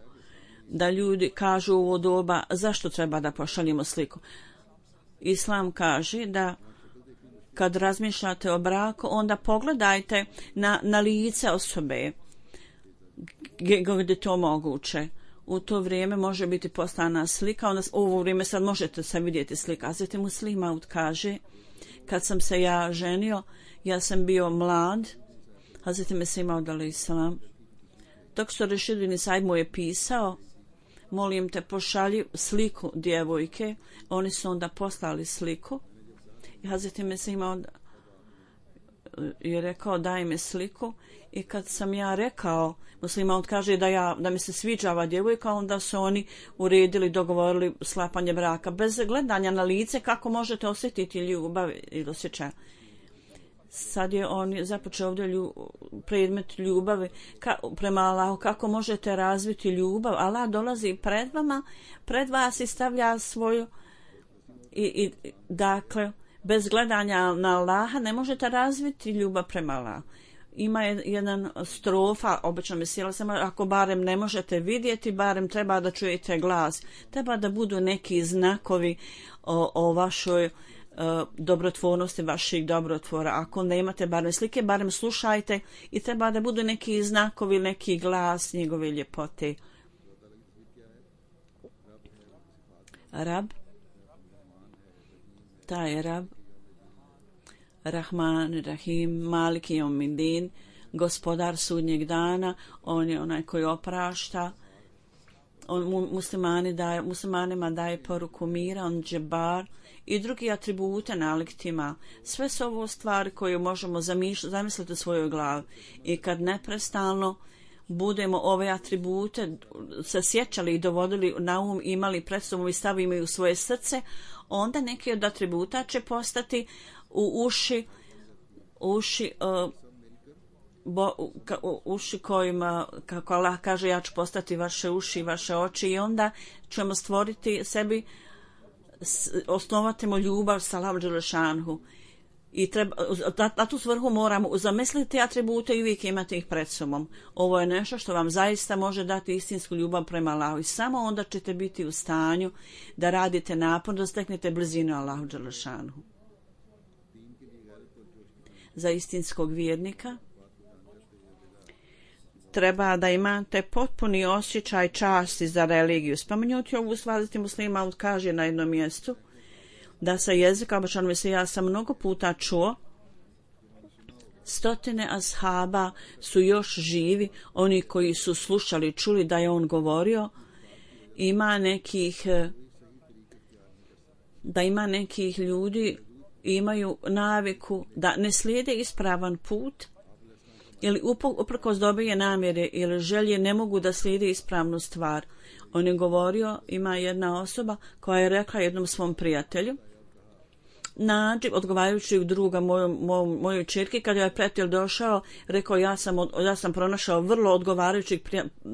da ljudi kažu u ovo doba zašto treba da pošaljimo sliku. Islam kaže da kad razmišljate o braku, onda pogledajte na, na lice osobe gdje, gdje to moguće. U to vrijeme može biti poslana slika, onda u ovo vrijeme sad možete se vidjeti slika. Hazreti Muslih Maud kaže, kad sam se ja ženio, ja sam bio mlad, Hazreti Mesih Maud alejhi selam, dok što Rešidin Said mu je pisao, molim te pošalji sliku djevojke, oni su onda poslali sliku i Hazreti Mesih Maud je rekao daj mi sliku i kad sam ja rekao, Muslih Maud kaže da, ja, da mi se sviđa ova djevojka, onda su oni uredili, dogovorili sklapanje braka. Bez gledanja na lice kako možete osjetiti ljubav ili osjećaj. Sad je on započeo ovdje lju, predmet ljubavi ka, prema Allahu, kako možete razviti ljubav. Allah dolazi pred vama, pred vas i stavlja svoju i, i dakle bez gledanja na Allaha ne možete razviti ljubav prema Allahu. Ima jedan strofa, obično mi sjela sam, ako barem ne možete vidjeti, barem treba da čujete glas. Treba da budu neki znakovi o, o vašoj uh, dobrotvornosti, vaših dobrotvora. Ako nemate barem slike, barem slušajte i treba da budu neki znakovi, neki glas njegove ljepote. Rab, taj Rab, Rahman, Rahim, Malik Jevmiddin, gospodar sudnjeg dana, on je onaj koji oprašta, on muslimani daje, muslimanima daje poruku mira, on džebar i drugi atribute naliktima. Sve su ovo stvari koje možemo zamisliti u svojoj glavi i kad neprestalno budemo ove atribute se sjećali i dovodili na um, imali pred sobom i stavimo u svoje srce, onda neki od atributa će postati u uši uši uh, bo, ka, u, uši kojima, kako Allah kaže, ja ću postati vaše uši i vaše oči i onda ćemo stvoriti sebi, osnovatimo ljubav sa Allahom dželešanhu i treba, na, na tu svrhu moramo zamisliti atribute i uvijek imati ih pred sobom. Ovo je nešto što vam zaista može dati istinsku ljubav prema Allahu i samo onda ćete biti u stanju da radite napor da steknete blizinu Allahu dželešanhu. Za istinskog vjernika treba da imate potpuni osjećaj časti za religiju. Spomenuti ovu Hazreti Muslih Maud kaže na jednom mjestu da sa jezika obično se ja sam mnogo puta čuo, stotine ashaba su još živi, oni koji su slušali, čuli da je on govorio, ima nekih da ima nekih ljudi imaju naviku da ne slijede ispravan put ili uprkos dobre namjere ili želje ne mogu da slijede ispravnu stvar. On je govorio, ima jedna osoba koja je rekla jednom svom prijatelju, nađi odgovarajućeg druga mojoj moj, mojoj ćerki, kad je prijatelj došao, rekao ja sam, od, ja sam pronašao vrlo odgovarajućeg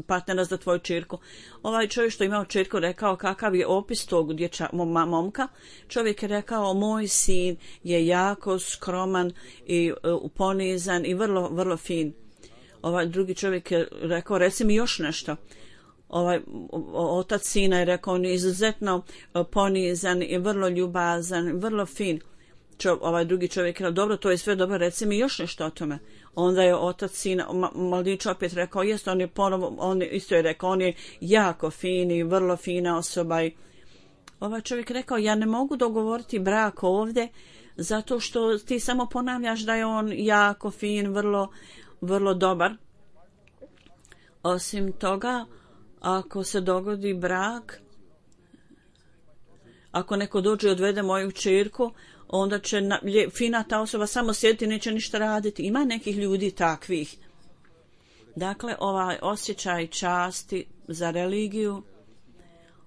partnera za tvoju ćerku. Ovaj čovjek što imao ćerku rekao kakav je opis tog dječa, momka. Čovjek je rekao moj sin je jako skroman i uh, ponizan i vrlo, vrlo fin. Ovaj drugi čovjek je rekao reci mi još nešto. Ovaj otac sina je rekao on je izuzetno ponizan i vrlo ljubazan, vrlo fin. Čo, ovaj drugi čovjek je rekao dobro, to je sve dobro, reci mi još nešto o tome. Onda je otac sina, mladić opet rekao, jest, on je ponovo, on je, isto je rekao, on je jako fin i vrlo fina osoba. I ovaj čovjek rekao, ja ne mogu dogovoriti brak ovdje, zato što ti samo ponavljaš da je on jako fin, vrlo, vrlo dobar. Osim toga, ako se dogodi brak, ako neko dođe i odvede moju ćerku, onda će na, lje, fina ta osoba samo sjediti i neće ništa raditi. Ima nekih ljudi takvih. Dakle, ovaj osjećaj časti za religiju,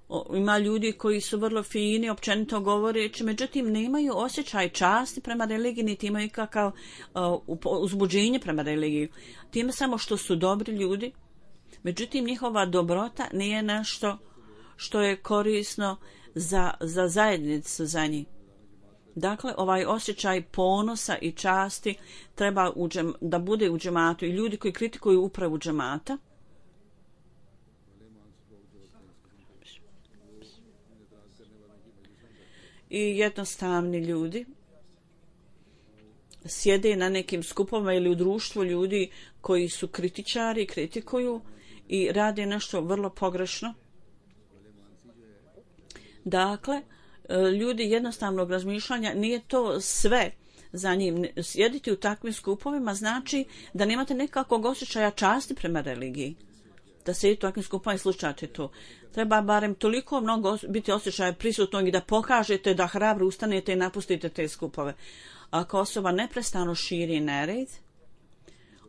o, ima ljudi koji su vrlo fini, općenito govoreći, međutim nemaju osjećaj časti prema religiji, niti imaju kakav uh, uzbuđenje prema religiji. Time samo što su dobri ljudi, međutim njihova dobrota nije nešto što je korisno za, za zajednicu za njih. Dakle, ovaj osjećaj ponosa i časti treba u džem, da bude u džematu i ljudi koji kritikuju upravu džemata i jednostavni ljudi sjede na nekim skupovima ili u društvu ljudi koji su kritičari, kritikuju i rade nešto vrlo pogrešno. Dakle, ljudi jednostavnog razmišljanja, nije to sve za njim. Sjediti u takvim skupovima znači da nemate nekakvog osjećaja časti prema religiji. Da sjedite u takvim skupovima i slušate to. Treba barem toliko mnogo biti osjećaja prisutnog i da pokažete da hrabro ustanete i napustite te skupove. Ako osoba neprestano širi nered,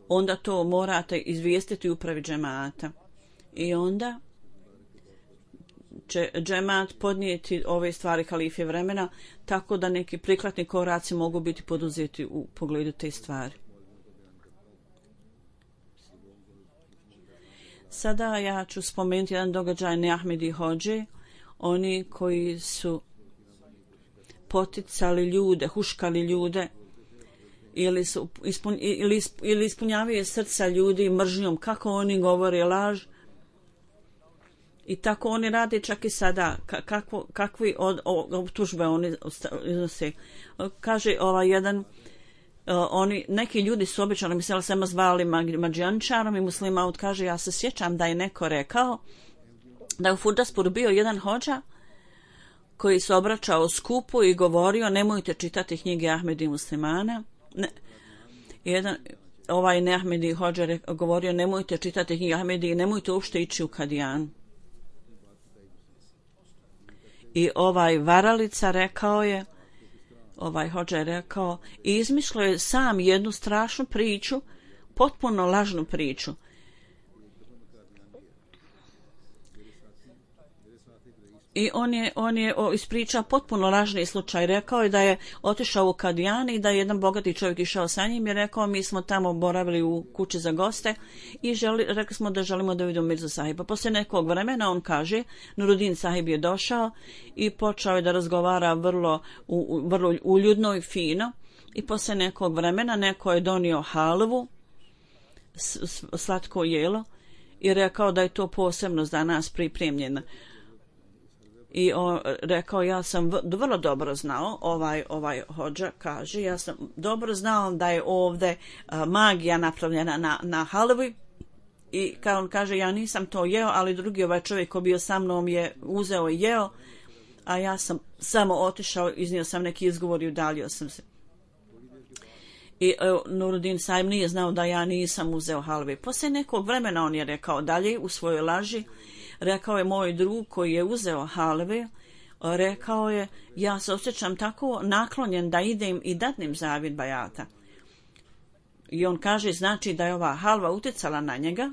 onda to morate izvijestiti upravi džemata. I onda će džemat podnijeti ove stvari halife vremena, tako da neki prikladni koraci mogu biti poduzeti u pogledu te stvari. Sada ja ću spomenuti jedan događaj Neahmedi hodže, oni koji su poticali ljude, huškali ljude ili, su ispun, ili, ili ispunjavaju srca ljudi mržnjom, kako oni govore laž. I tako oni rade čak i sada. Kako, kakvi od, optužbe oni iznose. Kaže ovaj jedan, uh, oni, neki ljudi su obično mislili samo zvali mađijančarom i muslimaut. Kaže, ja se sjećam da je neko rekao da je u Furdaspuru bio jedan hodža koji se obraćao skupu i govorio nemojte čitati knjige Ahmedi muslimana. Ne, jedan, ovaj Neahmedi hodža govorio nemojte čitati knjige Ahmedi i nemojte uopšte ići u Kadijan. I ovaj varalica rekao je, ovaj hodža je rekao, i izmišljao je sam jednu strašnu priču, potpuno lažnu priču. I on je, on je ispričao potpuno lažni slučaj. Rekao je da je otišao u Kadijan i da je jedan bogati čovjek išao sa njim i rekao mi smo tamo boravili u kući za goste i želi, rekli smo da želimo da vidimo Mirza Sahiba. Poslije nekog vremena on kaže, Nuruddin Sahib je došao i počeo je da razgovara vrlo, u, vrlo uljudno i fino i poslije nekog vremena neko je donio halvu, slatko jelo i rekao da je to posebno za nas pripremljeno. I on rekao, ja sam vrlo dobro znao, ovaj ovaj hodža kaže, ja sam dobro znao da je ovdje uh, magija napravljena na, na halvi. I kao on kaže, ja nisam to jeo, ali drugi ovaj čovjek koji bio sa mnom je uzeo i jeo, a ja sam samo otišao, iznio sam neki izgovor i udalio sam se. I uh, Nuruddin Sahib nije znao da ja nisam uzeo halvi. Poslije nekog vremena on je rekao dalje u svojoj laži, rekao je moj drug koji je uzeo halve, rekao je, ja se osjećam tako naklonjen da idem i dadnem zavid bajata. I on kaže, znači da je ova halva utjecala na njega,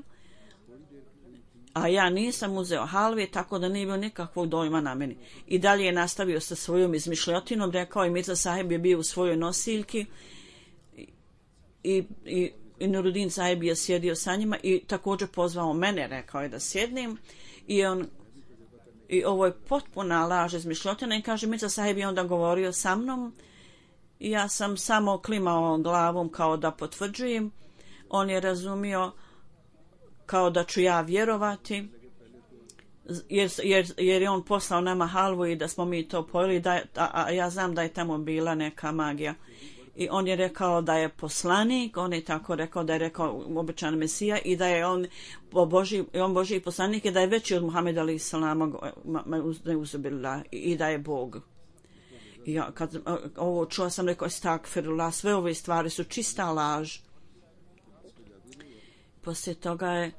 a ja nisam uzeo halve, tako da nije bilo nikakvog dojma na meni. I dalje je nastavio sa svojom izmišljotinom, rekao je Mirza Sahib je bio u svojoj nosiljki i, i, i, i Nuruddin Sahib je sjedio sa njima i također pozvao mene, rekao je da sjednem. I on i ovo je potpuna laž izmišljotina i kaže Mirza Sahib je onda govorio sa mnom i ja sam samo klimao glavom kao da potvrđujem. On je razumio kao da ću ja vjerovati jer, jer, jer je on poslao nama halvu i da smo mi to pojeli, da, a, a ja znam da je tamo bila neka magija. I on je rekao da je poslanik, on je tako rekao da je rekao obećan Mesija i da je on Boži, on Božji poslanik i da je veći od Muhameda alejhi selam i da je Bog. I ja kad ovo čuo sam rekao stakfirullah, sve ove stvari su čista laž. Poslije toga je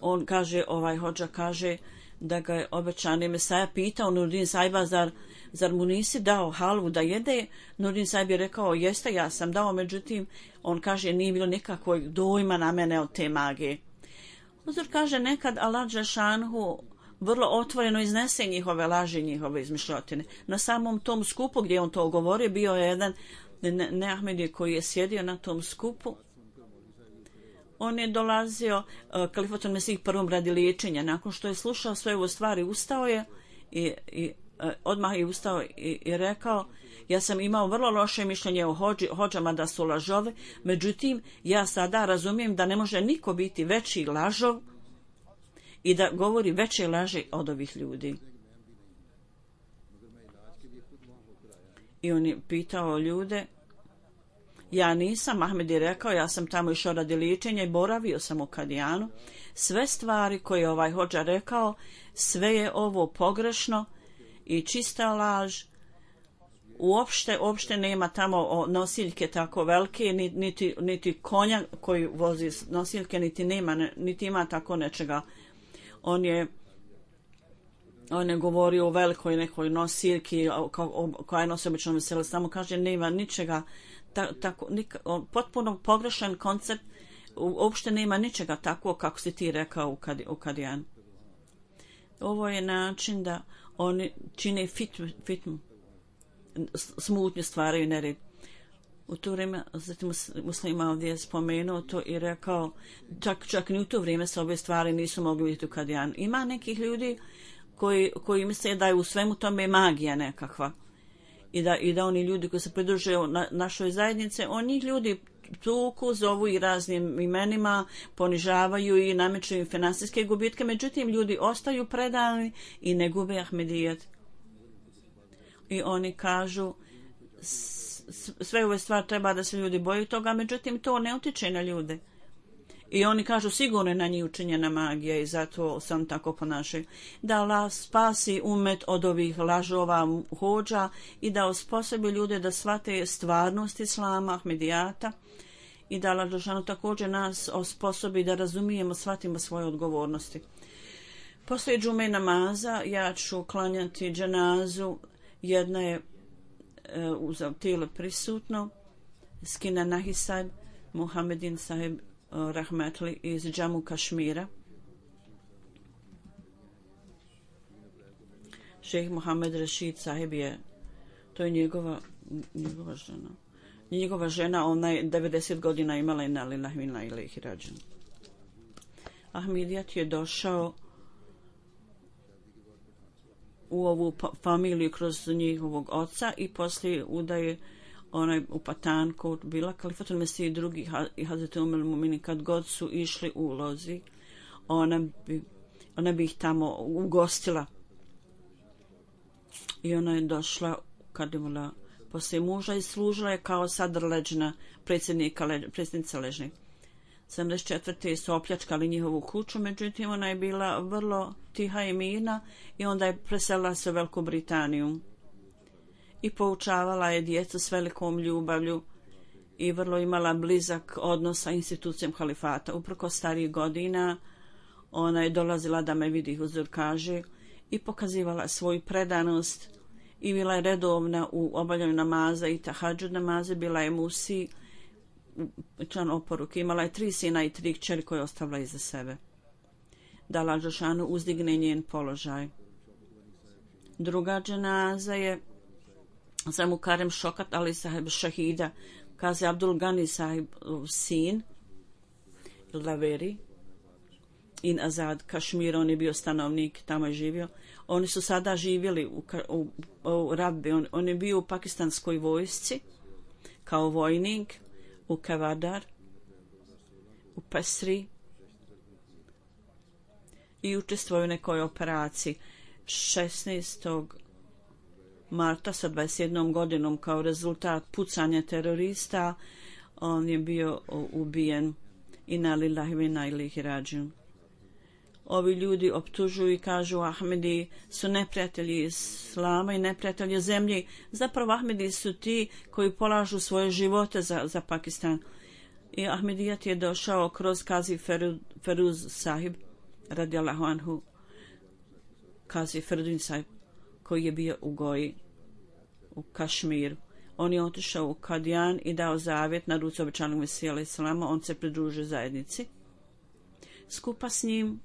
on kaže, ovaj hodža kaže da ga je obećani Mesaja pitao Nuruddin Sahiba, zar zar mu nisi dao halvu da jede? Nuruddin Sahib je rekao, jeste, ja sam dao, međutim, on kaže, nije bilo nikakvog dojma na mene od te magije. Uzor kaže, nekad Allah dželešanohu vrlo otvoreno iznese njihove laži, njihove izmišljotine. Na samom tom skupu gdje on to govori, bio je jedan Neahmedi koji je sjedio na tom skupu. On je dolazio uh, Kalifatul Mesih prvom radi liječenja. Nakon što je slušao sve ovo stvari, ustao je i, i uh, odmah je ustao i, i rekao, ja sam imao vrlo loše mišljenje o hođi, hođama da su lažove, međutim, ja sada razumijem da ne može niko biti veći lažov i da govori veće laži od ovih ljudi. I on je pitao ljude, Ja nisam, Ahmed je rekao, ja sam tamo išao radi liječenja i boravio sam u Kadijanu. Sve stvari koje je ovaj hodža rekao, sve je ovo pogrešno i čista laž. Uopšte, uopšte nema tamo nosiljke tako velike, niti, niti konja koji vozi nosiljke, niti nema, niti ima tako nečega. On je on je govorio o velikoj nekoj nosiljki koja je nosi obično veseli, samo kaže nema ničega, ta, tako, nik, potpuno pogrešan koncept, uopšte nema ničega tako kako si ti rekao u, kad, u Kadijan. Ovo je način da oni čine fit, fitmu, smutnju stvaraju nered. U to vrijeme, zatim muslima ovdje je spomenuo to i rekao, čak, čak ni u to vrijeme se ove stvari nisu mogli vidjeti u Kadijanu. Ima nekih ljudi koji, koji misle da je u svemu tome magija nekakva. I da, i da oni ljudi koji se pridružuju na, našoj zajednici, oni ljudi tuku, zovu i raznim imenima, ponižavaju i nameću im finansijske gubitke, međutim ljudi ostaju predani i ne gube Ahmedijet. I oni kažu sve ove stvari treba da se ljudi boju toga, međutim to ne utiče na ljude. I oni kažu sigurno je na njih učinjena magija i zato sam tako ponašaju. Da Allah spasi umet od ovih lažova hođa i da osposobi ljude da shvate stvarnost Islama, Ahmedijata i da Allah Đelešanu također nas osposobi da razumijemo, shvatimo svoje odgovornosti. Poslije džume namaza ja ću klanjati dženazu. Jedna je e, uz tijelo prisutno, Skina Nahisad, Muhammedin sahib Rahmetli iz Džamu Kašmira. Šejh Muhammed Rashid sahib je, to je njegova, njegova žena. Njegova žena, ona je devedeset godina imala i nalila hvinla ili ih rađen. Ahmedijat je došao u ovu familiju kroz njihovog oca i poslije udaje onaj u Patanku bila Kalifatul Mesih i drugi i Hazreti Umel Mumini kad god su išli u lozi, ona bi, ona bi ih tamo ugostila. I ona je došla kad je bila poslije muža i služila je kao sadr leđna predsjednika, leđ, predsjednica ležnih. sedamdeset četvrte su opljačkali njihovu kuću, međutim ona je bila vrlo tiha i mirna i onda je preselila se u Veliku Britaniju i poučavala je djecu s velikom ljubavlju i vrlo imala blizak odnos sa institucijom halifata. Uprko starijih godina ona je dolazila da me vidi, huzur kaže, i pokazivala svoju predanost i bila je redovna u obavljanju namaza i tahadžud namaze, bila je musi, član oporuke, imala je tri sina i tri kćeri koje je ostavila iza sebe. Da Allah Đelešanu uzdigne njen položaj. Druga dženaza je za Mukarem Šokat Ali sahib Šahida, Kazi Abdul Gani sahib sin Laveri in Azad Kašmir, on je bio stanovnik, tamo je živio. Oni su sada živjeli u, u, u Rabbi, on, on je bio u pakistanskoj vojsci kao vojnik u Kavadar, u Pesri i učestvovao u nekoj operaciji. šesnaestog marta sa dvadeset jednom godinom kao rezultat pucanja terorista on je bio ubijen i na lillahi ve inna ilaihi rađiun. Ovi ljudi optužuju i kažu Ahmedi su neprijatelji Islama i neprijatelji zemlje. Zapravo Ahmedi su ti koji polažu svoje živote za, za Pakistan. I Ahmedijat je došao kroz Kazi Feruz sahib radijallahu anhu, Kazi Ferudin sahib koji je bio u Goji u Kašmiru. On je otišao u Kadijan i dao zavjet na ruci obećanog Mesija alejhi selama. On se pridružio zajednici. Skupa s njim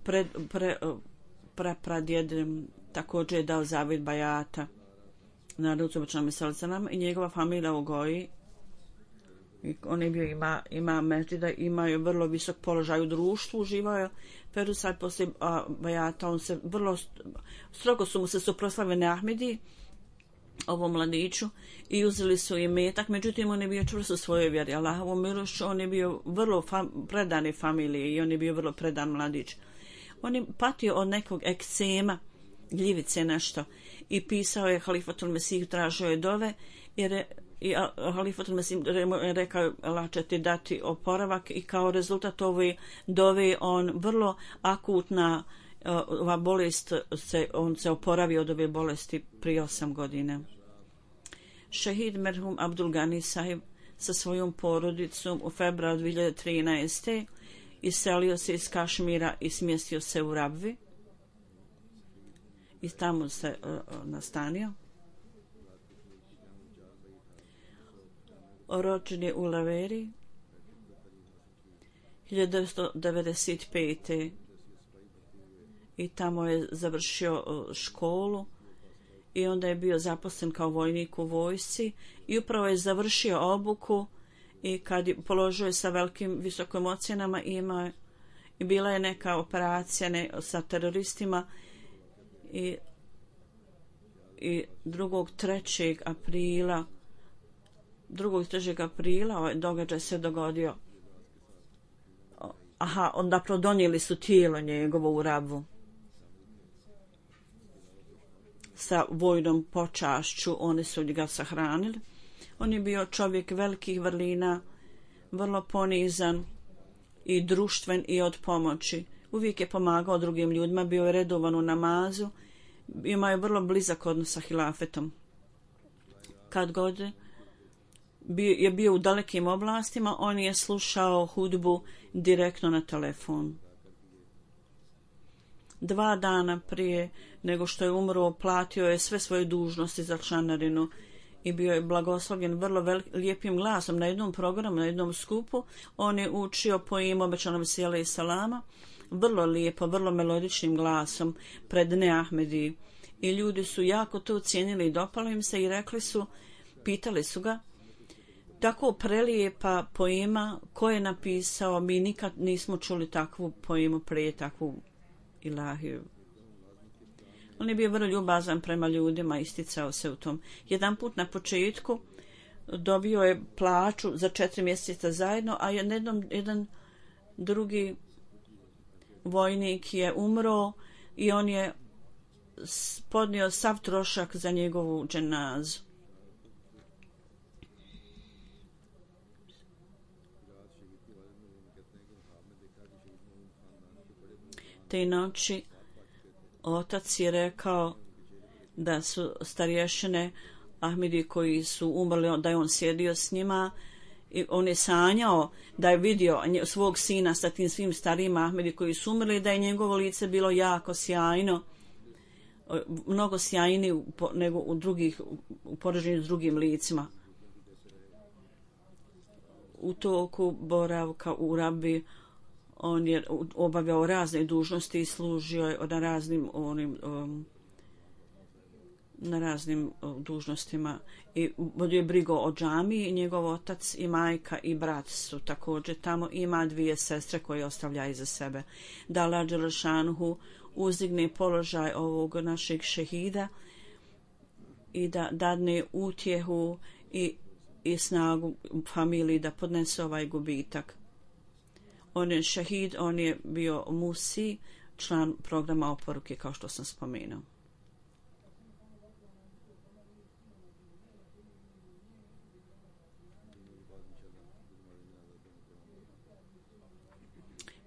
pre, pre, pre, pradjed također je dao zavjet bajata na ruci obećanog Mesija alejhi selama i njegova familija u Goji. I on je bio ima, ima međida, imaju vrlo visok položaj u društvu, uživao je Ferusad poslije a, bajata, on se vrlo strogo su mu se suprotstavili Ahmedi, ovom mladiću, i uzeli su i metak, međutim on je bio čvrst u svojoj vjeri, Allahovom milošću, on je bio vrlo fam, predane familije i on je bio vrlo predan mladić. On je patio od nekog ekcema gljivice nešto i pisao je Halifatul Mesih, tražio je dove jer je i Halifatul Mesih rekao Allah će ti dati oporavak i kao rezultat ove dove on vrlo akutna ova bolest se, on se oporavio od ove bolesti prije osam godina. Šehid merhum Abdul Gani sahib sa svojom porodicom u februaru dvije hiljade trinaeste. iselio se iz Kašmira i smjestio se u Rabvi i tamo se uh, nastanio. Rođen je u Laveri hiljadu devetsto devedeset pete. i tamo je završio uh, školu i onda je bio zaposlen kao vojnik u vojsci i upravo je završio obuku i kad je položio je sa velikim visokim ocjenama ima i bila je neka operacija ne, sa teroristima i, i drugog trećeg aprila drugog trećeg aprila ovaj događaj se dogodio. Aha, onda prodonijeli su tijelo njegovo u Rabu sa vojnom počašću, oni su ga sahranili. On je bio čovjek velikih vrlina, vrlo ponizan i društven i od pomoći. Uvijek je pomagao drugim ljudima, bio je redovan u namazu, imao je vrlo blizak odnos sa hilafetom. Kad god je bio u dalekim oblastima, on je slušao hudbu direktno na telefon. Dva dana prije nego što je umro, platio je sve svoje dužnosti za članarinu i bio je blagoslovljen vrlo velik, lijepim glasom na jednom programu, na jednom skupu. On je učio po imu obećanom sjela i salama, vrlo lijepo, vrlo melodičnim glasom pred Neahmedi. I ljudi su jako to cijenili i dopalo im se i rekli su, pitali su ga, tako prelijepa poema, ko je napisao, mi nikad nismo čuli takvu poemu prije, takvu ilahiju. On je bio vrlo ljubazan prema ljudima, isticao se u tom. Jedan put na početku dobio je plaću za četiri mjeseca zajedno, a jednom, jedan drugi vojnik je umro i on je podnio sav trošak za njegovu dženazu. Te noći otac je rekao da su starješine Ahmedi koji su umrli, da je on sjedio s njima i on je sanjao da je vidio svog sina sa tim svim starijim Ahmedi koji su umrli, da je njegovo lice bilo jako sjajno, mnogo sjajniji nego u drugih, u poređenju s drugim licima. U toku boravka u Rabi on je obavljao razne dužnosti i služio je na raznim onim um, na raznim um, dužnostima i vodio je brigo o džamiji. Njegov otac i majka i brat su također tamo. Ima dvije sestre koje ostavlja iza sebe. Da Allah dželešanuhu uzdigne položaj ovog našeg šehida i da dadne utjehu i, i snagu familiji da podnese ovaj gubitak. On je šehid, on je bio Musi, član programa oporuke, kao što sam spomenuo.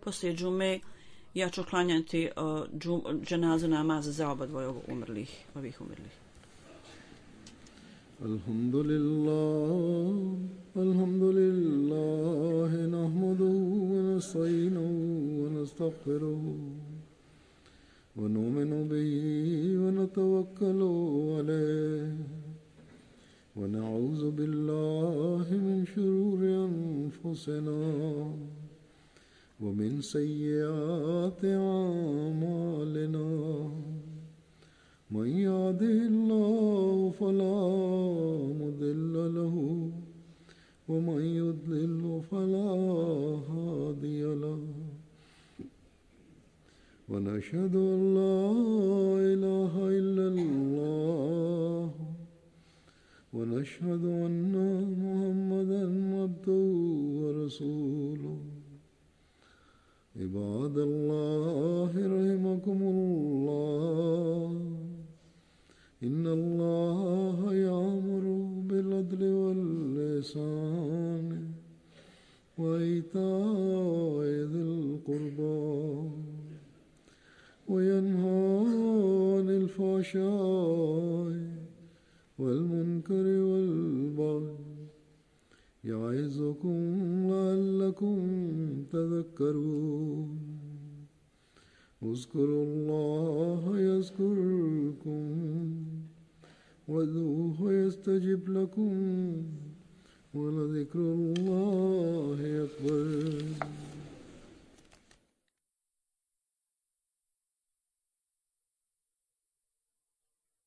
Poslije džume ja ću klanjati uh, džum, dženazu namaz za oba dvoje umrlih, ovih umrlih. Alhamdulillah, alhamdulillah, nahmaduhu wa nasta'inuhu wa nastaghfiruhu wa nu'minu bihi wa natawakkalu alayhi wa na'udhu billahi min shururi anfusina wa min sayyiati a'malina. من يهده الله فلا مضل له ومن يضلل فلا هادي له ونشهد أن لا إله إلا الله ونشهد أن محمدا عبده ورسوله. عباد الله رحمكم الله الفحشاء والمنكر والبغي يعظكم لعلكم تذكرون اذكروا الله يذكركم وادعوه يستجب لكم ولذكر